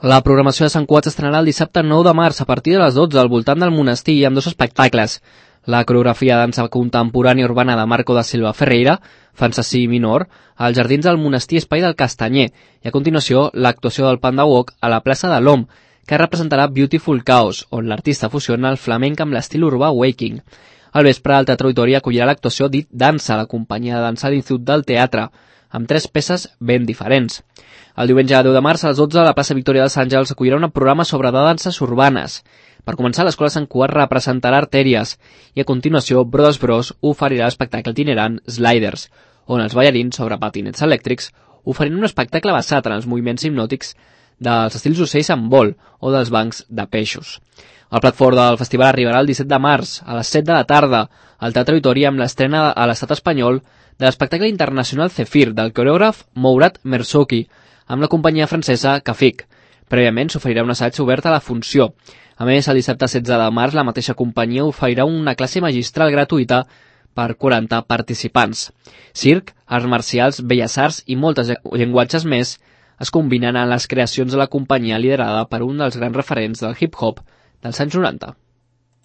La programació de Sant Cugat s'estrenarà el dissabte 9 de març a partir de les 12 al voltant del monestir amb 2 espectacles. La coreografia de dansa contemporània urbana de Marco da Silva Ferreira, Fantasy Minor, als jardins del monestir Espai del Castanyer, i a continuació l'actuació del Panda Walk a la plaça de l'Om, que representarà Beautiful Chaos, on l'artista fusiona el flamenc amb l'estil urbà Waking. Al vespre, el Teatre Auditori acollirà l'actuació Dit Dansa, la companyia de dansa de l'Institut del Teatre, amb 3 peces ben diferents. El diumenge 10 de març a les 12 a la plaça Victòria dels Àngels acollirà un programa sobre danses urbanes. Per començar, l'Escola Sant Cugat representarà Artèries i a continuació Brothers Bros oferirà l'espectacle itinerant Sliders, on els ballarins sobre patinets elèctrics oferint un espectacle basat en els moviments hipnòtics dels estils d'ocells amb vol o dels bancs de peixos. El plat fort del festival arribarà el 17 de març a les 7 de la tarda al Teatre Auditori amb l'estrena a l'estat espanyol de l'espectacle internacional Zephyr del coreògraf Mourad Merzouki amb la companyia francesa Cafik. Prèviament s'oferirà un assaig obert a la funció. A més, el dissabte 16 de març la mateixa companyia oferirà una classe magistral gratuïta per 40 participants. Circ, arts marcials, belles arts i moltes llenguatges més es combinen en les creacions de la companyia liderada per un dels grans referents del hip-hop dels anys 90.